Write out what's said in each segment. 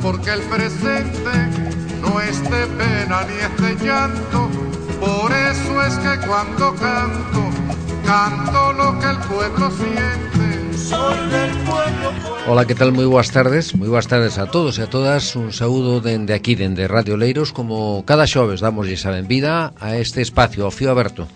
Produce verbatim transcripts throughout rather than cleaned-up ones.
porque el presente no es de pena ni es de llanto. Por eso es que cuando canto, canto lo que el pueblo siente. Soy del pueblo. Ola, que tal? Moi boas tardes, moi boas tardes a todos e a todas. Un saúdo dende aquí, dende Radio Leiros. Como cada xoves damoslle a benvida a este espacio, ao Fío Aberto,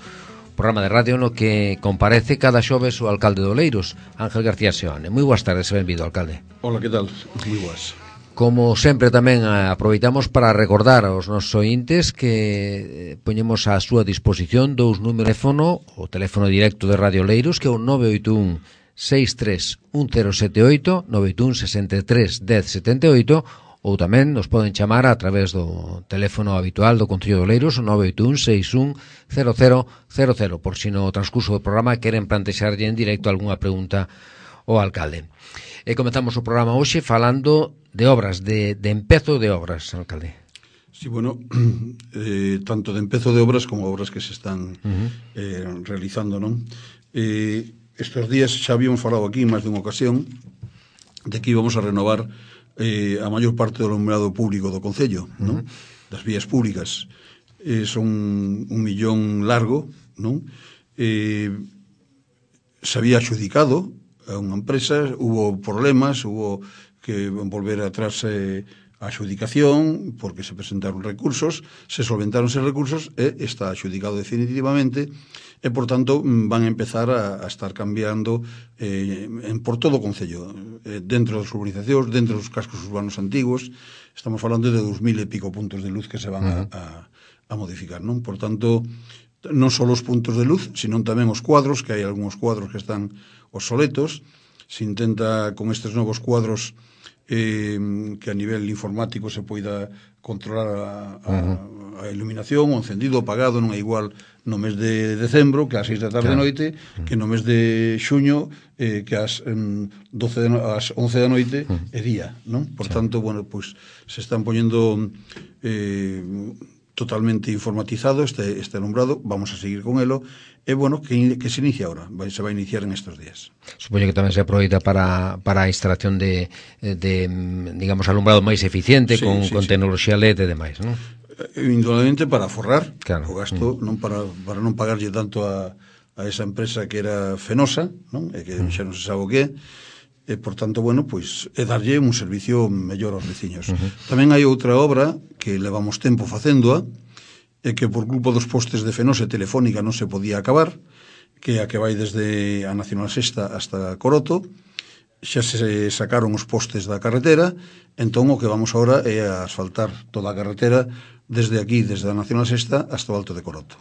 programa de radio no que comparece cada xoves o alcalde do Leiros, Ángel García Seoane. Moi boas tardes e benvido, alcalde. Ola, que tal? Moi boas. Como sempre tamén aproveitamos para recordar aos nosos ointes que poñemos á súa disposición dous números de teléfono, o teléfono directo de Radio Leiros, que é o nove oito un seis tres un cero sete oito, nove oito un seis tres un cero sete oito, ou tamén nos poden chamar a través do teléfono habitual do Concello de Leiros, o nove oito un seis un cero cero cero cero, por si no transcurso do programa queren plantexarlle en directo algunha pregunta ao alcalde. E comenzamos o programa hoxe falando de obras, de, de empezo de obras, alcalde. Sí, bueno, eh, tanto de empezo de obras como obras que se están uh-huh. eh, realizando, non? Eh, estes días xa habíamos falado aquí en máis dunha ocasión de que íbamos a renovar eh, a maior parte do alumbrado público do Concello, uh-huh. non? Das vías públicas. Eh, son un millón largo, non? Eh, se había adjudicado a unha empresa, hubo problemas, hubo que volver atrás eh, a adjudicación porque se presentaron recursos, se solventaron esos recursos e está adjudicado definitivamente e, por tanto, van a empezar a, a estar cambiando eh, en, por todo o Concello, eh, dentro das urbanizacións, dentro dos cascos urbanos antigos. Estamos falando de dos mil e pico puntos de luz que se van uh-huh. a, a, a modificar, non? Por tanto, non só os puntos de luz, sino tamén os cuadros, que hai algúns cuadros que están obsoletos. Se intenta con estes novos cuadros eh, que a nivel informático se poida controlar a, a, a iluminación, o encendido, o apagado, non é igual no mes de decembro que ás seis da tarde claro. noite, que no mes de xuño eh, que ás, um, doce de no, ás once da noite é día, non? Por tanto, bueno, pois se están poñendo eh, totalmente informatizado este, este alumbrado, vamos a seguir con elo, e bueno, que, que se inicia ahora, vai, se vai iniciar en estos días. Supoño que tamén se aproveita para, para a instalación de, de, digamos, alumbrado máis eficiente, sí, con, sí, con sí. tecnoloxía L E D e demais, non? Indudablemente para forrar claro. o gasto, mm. non para, para non pagarlle tanto a, a esa empresa que era Fenosa, non? E que mm. xa non se sabe o que é, e, por tanto, bueno, pois é darlle un servicio mellor aos veciños. Uh-huh. Tamén hai outra obra que levamos tempo facéndoa, e que por culpa dos postes de Fenosa e Telefónica non se podía acabar, que é a que vai desde a Nacional Sexta hasta Coroto. Xa se sacaron os postes da carretera, entón o que vamos agora é a asfaltar toda a carretera desde aquí, desde a Nacional Sexta hasta o Alto de Coroto.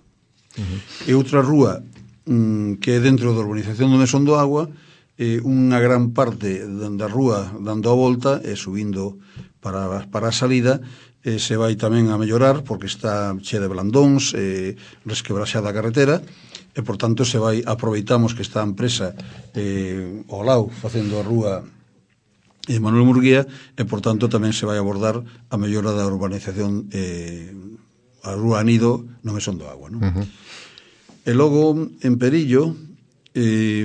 Uh-huh. E outra rúa mmm, que é dentro da urbanización do Mesón do Agua, eh, unha gran parte da rúa dando a volta e subindo para, para a salida, eh, se vai tamén a mellorar porque está che de blandóns, eh, resquebraxada a carretera, e, por tanto, se vai, aproveitamos que está a empresa eh, ao lado facendo a rúa eh, Manuel Murguía, e, por tanto, tamén se vai abordar a mellora da urbanización eh, a rúa Anido no Mesón do Agua, non? Uh-huh. E logo, en Perillo, eh,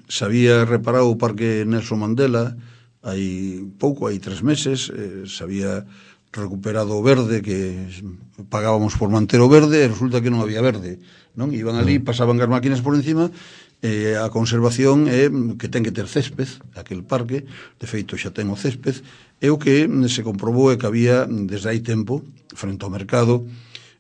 se había reparado o Parque Nelson Mandela hai pouco, hai tres meses, eh, se había recuperado o verde que pagábamos por manter o verde e resulta que non había verde, non? Iban ali, pasaban as máquinas por encima, eh, a conservación é que ten que ter césped, aquel parque, de feito xa ten o césped, e o que se comprobou é que había desde hai tempo, frente ao mercado,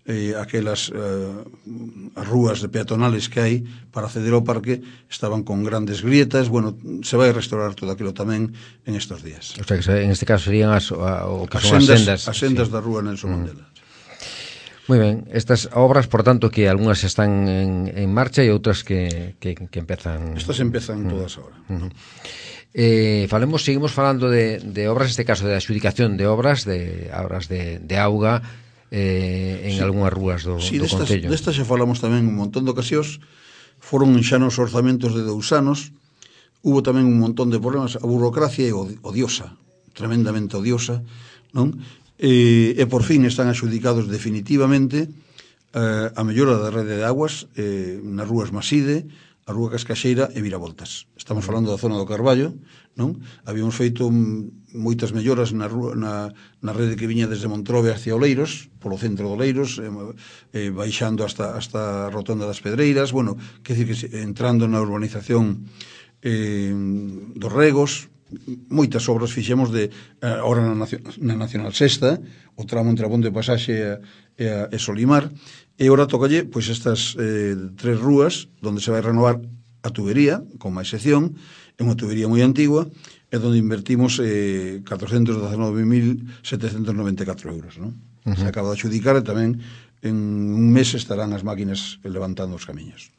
eh, aquelas eh, as rúas de peatonales que hai para acceder ao parque estaban con grandes grietas. Bueno, se vai restaurar todo aquilo tamén en estes días. O sea, que en este caso serían as, a, o que as son sendas, as sendas, as sendas sí. da rúa Nelson mm. Mandela. Moi ben, estas obras, por tanto, que algunhas están en, en marcha e outras que, que, que empezan... Estas empezan mm. todas ahora. Mm. Eh, falemos, seguimos falando de, de obras, neste caso de adjudicación de obras, de obras de, de auga, eh, en sí. algunhas rúas do, sí, do destas, Concello. Destas xa falamos tamén un montón de ocasións, foron xa nos orzamentos de dous anos, hubo tamén un montón de problemas, a burocracia é odiosa, tremendamente odiosa, non? E, e por fin están adjudicados definitivamente eh, a mellora da rede de aguas eh, nas rúas Maside, a Rúa Cascaxeira e Viravoltas. Estamos falando da zona do Carballo, non? Habíamos feito moitas melloras na, rúa, na, na rede que viña desde Montrobe hacia Oleiros, polo centro de Oleiros, eh, eh, baixando hasta, hasta a Rotonda das Pedreiras, bueno, que decir que entrando na urbanización eh, dos Regos, moitas obras fixemos de ahora na, na Nacional Sexta, o tramo entre a Ponte de Pasaxe e, e, e Solimar, e agora tocalle pois estas eh, tres rúas onde se vai renovar a tubería con máis sección, é unha tubería moi antigua e onde invertimos eh, catrocentos dezenove mil setecentos noventa e catro euros, non? Uh -huh. Se acaba de adxudicar e tamén en un mes estarán as máquinas levantando os camiños.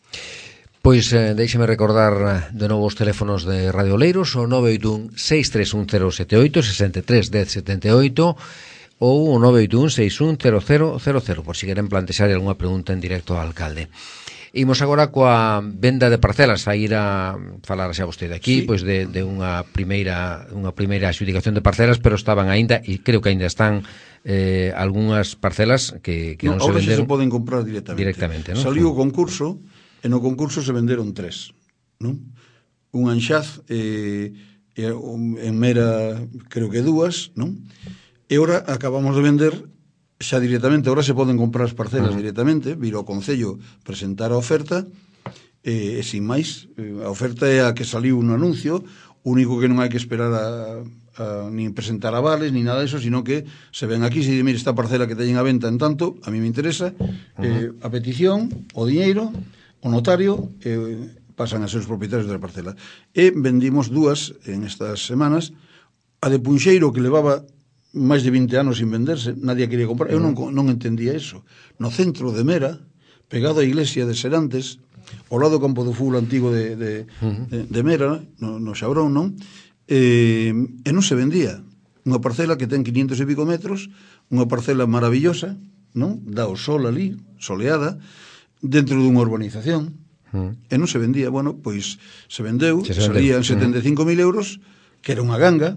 Pois eh, deixeme recordar de novo os teléfonos de Radio Oleiros, o nove oito un seis tres un cero sete oito, sesenta e tres dez setenta e oito ou o nove oito un seis un cero cero cero cero, por si queren plantexar algunha pregunta en directo ao alcalde. Imos agora coa venda de parcelas, a ir a falar xa vostede aquí, sí. Pois de, de unha primeira unha primeira adxudicación de parcelas, pero estaban aínda, e creo que aínda están eh, algunhas parcelas que, que non, non se venderon. Ahora se poden comprar directamente. Directamente, non? Saliu o concurso, e no concurso se venderon tres, non? Un Anxaz, eh, en Mera creo que dúas, non? E ora acabamos de vender xa directamente, ora se poden comprar as parcelas uh -huh. directamente, vir ao Concello presentar a oferta, e, e sin máis, a oferta é a que saliu no anuncio, o único que non hai que esperar a, a, nin presentar avales, ni nada disso, sino que se ven aquí, se di, mire, esta parcela que teñen a venta en tanto, a mí me interesa, uh -huh. eh, a petición, o diñeiro, o notario, eh, pasan a ser os propietarios da parcela. E vendimos dúas en estas semanas, a de Punxeiro, que levaba máis de vinte anos sin venderse, nadie quería comprar. Eu non, non entendía eso. No centro de Mera, pegado á iglesia de Serantes, ao lado do campo do fútbol antigo de, de, de, de Mera, no, no Xabrón, non? E, e non se vendía. Unha parcela que ten quinientos e pico metros, unha parcela maravillosa, non? Dá o sol ali, soleada, dentro dunha urbanización, e non se vendía. Bueno, pois se vendeu, se salían setenta e cinco mil euros, que era unha ganga.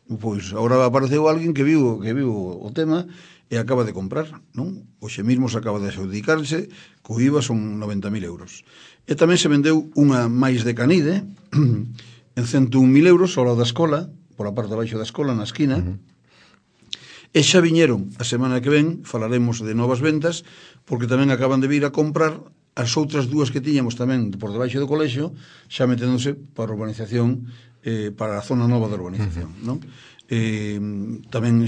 Pois agora apareceu alguén que viu que viu o tema e acaba de comprar, non? Hoxe mesmo se acaba de adxudicarse, co I V A son noventa mil euros. E tamén se vendeu unha máis de Canide en cento un mil euros ao lado da escola, pola parte de baixo da escola, na esquina. Uh -huh. E xa viñeron a semana que ven, falaremos de novas ventas, porque tamén acaban de vir a comprar as outras dúas que tiñamos tamén por debaixo do colexio, xa meténdose para a urbanización, eh, para a zona nova da urbanización, uh -huh. non? Eh, tamén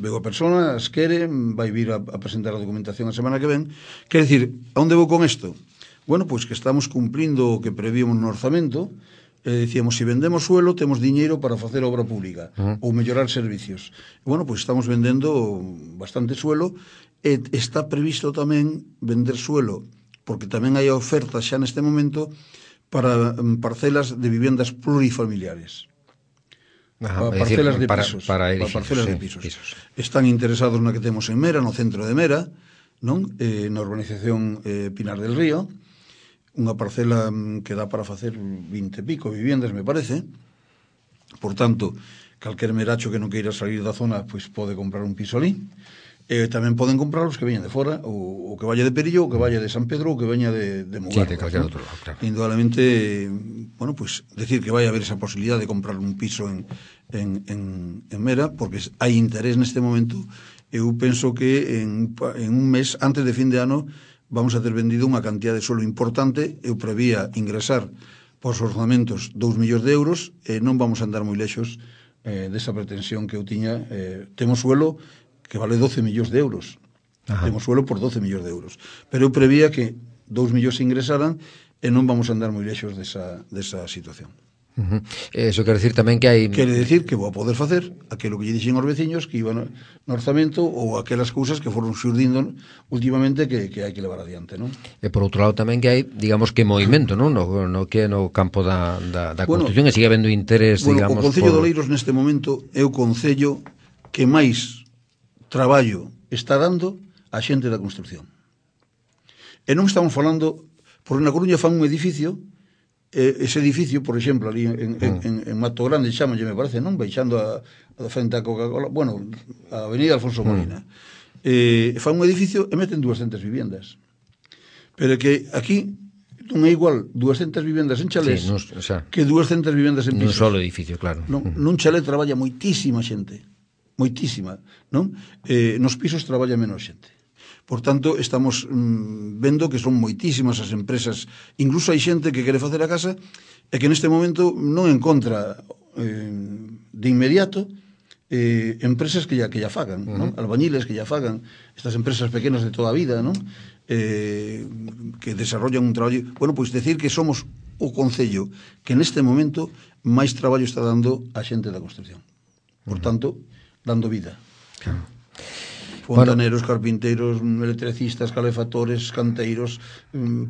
veo a persona, as quere, vai vir a, a presentar a documentación a semana que ven. Quer dicir, a onde vou con isto? Bueno, pois que estamos cumplindo o que prevíamos no orzamento. Eh, dicíamos, se vendemos suelo, temos diñeiro para facer obra pública uh -huh. ou mellorar servicios. E, bueno, pois estamos vendendo bastante suelo, e está previsto tamén vender suelo, porque tamén hai ofertas xa neste momento para parcelas de vivendas plurifamiliares. Ajá, para parcelas decir, de para, pisos, para, para parcelas sí, de pisos. pisos. Están interesados na que temos en Mera, no centro de Mera, non? Eh, na urbanización eh, Pinar del Río, unha parcela que dá para facer vinte e pico viviendas, me parece. Por tanto, calquer meracho que non queira salir da zona, pois pode comprar un piso ali. E tamén poden comprar os que veñan de fora, ou, ou que vaya de Perillo, ou que vaya de San Pedro, ou que veña de, de Mugarra. Sí, de calquer outro lado, claro. Indudablemente, bueno, pues decir que vai haber esa posibilidad de comprar un piso en, en, en, en Mera, porque hai interés neste momento. Eu penso que en, en un mes, antes de fin de ano, vamos a ter vendido unha cantidad de suelo importante. Eu prevía ingresar pos orzamentos dous millóns de euros, e non vamos a andar moi lexos eh, desa pretensión que eu tiña. Eh, temos suelo que vale doce millóns de euros. Ajá. Temos suelo por doce millóns de euros. Pero eu prevía que dous millóns ingresaran, e non vamos a andar moi lexos desa, desa situación. Uh -huh. Eso quere decir tamén que hai... Quere decir que vou a poder facer aquilo que lle dixen aos veciños que iban no orzamento, ou aquelas cousas que foron xurdindo últimamente que, que hai que levar adiante, non? E por outro lado tamén que hai, digamos, que movimento, non? No, no que no campo da, da, da bueno, construcción, e sigue habendo interés, bueno, digamos... O Concello por... de Oleiros neste momento é o concello que máis traballo está dando a xente da construcción. E non estamos falando, porque na Coruña fan un edificio, eh, ese edificio, por exemplo, ali en, en, en, en Mato Grande, chamalle, me parece, non? Baixando a, a frente a Coca-Cola, bueno, a Avenida Alfonso Molina. Mm. Eh, fan un edificio e meten dúascentas viviendas. Pero que aquí non é igual duascentas vivendas en chalés sí, nos, o sea, que duascentas vivendas en pisos. Nun solo edificio, claro. Non, nun chalé traballa moitísima xente, moitísima, non? Eh, nos pisos traballa menos xente. Por tanto, estamos mm, vendo que son moitísimas as empresas, incluso hai xente que quere facer a casa e que neste momento non encontra eh, de inmediato eh, empresas que ya, que ya fagan, uh-huh. non? Albañiles que ya fagan, estas empresas pequenas de toda a vida, non? Eh, que desarrollan un traballo. Bueno, pois decir que somos o concello que neste momento máis traballo está dando a xente da construcción. Por tanto, dando vida. Claro. Fontaneros, bueno, carpinteiros, electricistas, calefactores, canteiros,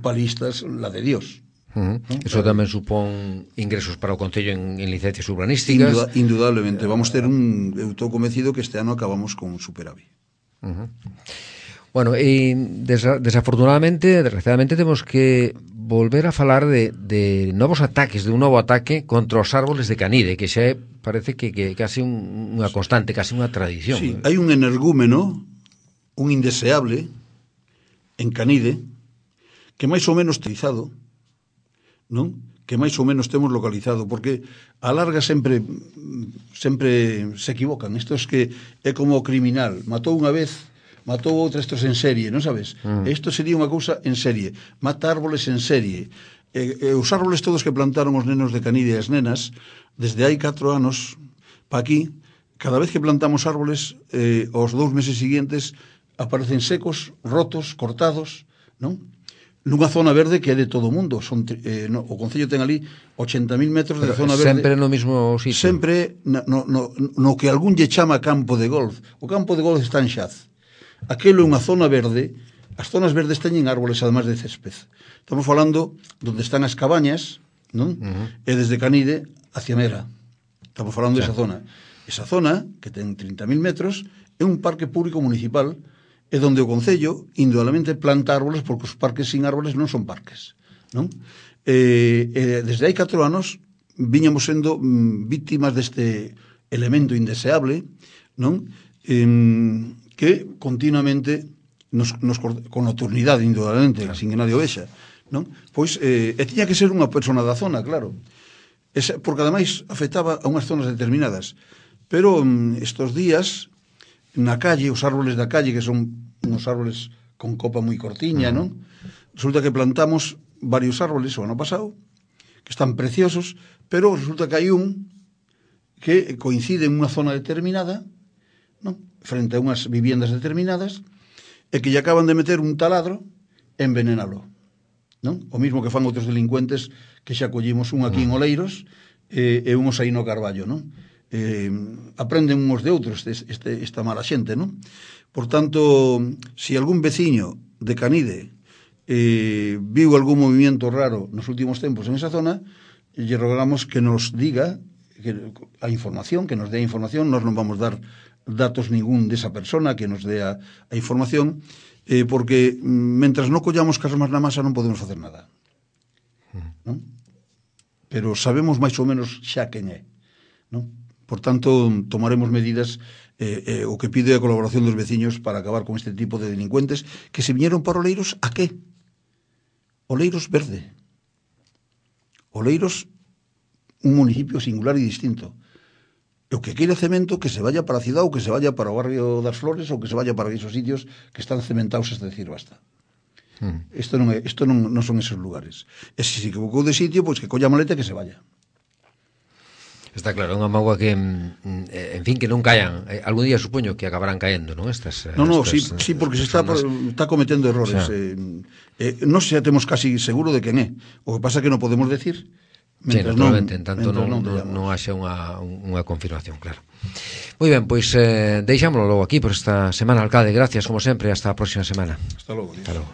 palistas, la de Dios. Uh-huh. ¿No? Eso claro. Tamén supón ingresos para o Concello en, en licencias urbanísticas. Induda, indudablemente, vamos ter un, eu estou convencido que este ano acabamos con un superávit. Uh-huh. Bueno, e desa, desafortunadamente, desgraciadamente temos que volver a falar de, de novos ataques, de un novo ataque contra os árboles de Canide, que xa parece que, que casi un, unha constante, casi unha tradición. Sí, hai un energúmeno, un indeseable en Canide, que máis ou menos utilizado, non? Que máis ou menos temos localizado, porque a larga sempre sempre se equivocan. Isto é que é como o criminal, matou unha vez, matou outra, estos en serie, non sabes? Mm. Isto sería unha cousa en serie, mata árboles en serie. E, e os árboles todos que plantaron os nenos de Canide e as nenas, desde hai catro anos pa aquí, cada vez que plantamos árboles, eh, os dous meses seguintes aparecen secos, rotos, cortados, non? Nunha zona verde que é de todo o mundo. Son, eh, no, o Concello ten ali ochenta mil metros de pero zona verde. Sempre no mismo sitio. Sempre no, no, no que algún lle chama campo de golf. O campo de golf está en Xaz. Aquelo é unha zona verde. As zonas verdes teñen árboles además de césped. Estamos falando donde están as cabañas, non? Uh-huh. E desde Canide hacia Mera. Estamos falando sí. desa zona. Esa zona, que ten trinta mil metros, é un parque público municipal é donde o Concello, indudablemente, planta árboles, porque os parques sin árboles non son parques, non? Eh, eh, desde hai catro anos viñamos sendo mm, víctimas deste elemento indeseable, non? Eh, que continuamente nos, nos con nocturnidade, indudablemente, claro. Sin que nadie o vexa, non? Pois, eh, e tiña que ser unha persona da zona, claro. Esa, porque ademais afectaba a unhas zonas determinadas. Pero mm, estos días na calle, os árboles da calle, que son uns árboles con copa moi cortiña, non? Resulta que plantamos varios árboles o ano pasado, que están preciosos, pero resulta que hai un que coincide en unha zona determinada, non? Frente a unhas viviendas determinadas, e que lle acaban de meter un taladro e envenenalo, non? O mismo que fan outros delincuentes que xa collimos un aquí en Oleiros e, e unhos aí no Carballo, non? Eh, aprenden uns de outros este, este, esta mala xente, non? Por tanto, se si algún veciño de Canide eh, viu algún movimiento raro nos últimos tempos en esa zona, lle rogamos que nos diga que, a información, que nos dé a información. Nos non vamos dar datos ningún desa persona que nos dé a, a información, eh, porque mentras non collamos casmas na masa non podemos facer nada, non? Pero sabemos máis ou menos xa quen é, non? Por tanto, tomaremos medidas, eh, eh, o que pide a colaboración dos veciños para acabar con este tipo de delincuentes que se viñeron para Oleiros, ¿a qué? Oleiros verde. Oleiros, un municipio singular e distinto. E o que queira cemento, que se vaya para a cidade ou que se vaya para o barrio das Flores ou que se vaya para esos sitios que están cementados, es decir, basta. Hmm. Isto non, é, isto non, non son esos lugares. E se se equivocou de sitio, pois que colla a maleta e que se vaya. Está claro, unha mágoa que, en fin, que non cayan. Algún día supoño que acabarán caendo, non? Estas, no, no, estas, sí, sí, porque se está, por, está cometendo errores. O sea, eh, eh, non xa temos casi seguro de quen é. O que pasa é que non podemos decir mentras sí, non, en tanto non, non, non, non haxa unha, unha confirmación, claro. Moi ben, pois eh, deixámoslo logo aquí por esta semana, alcalde. Gracias, como sempre, hasta a próxima semana. Hasta logo. Hasta logo.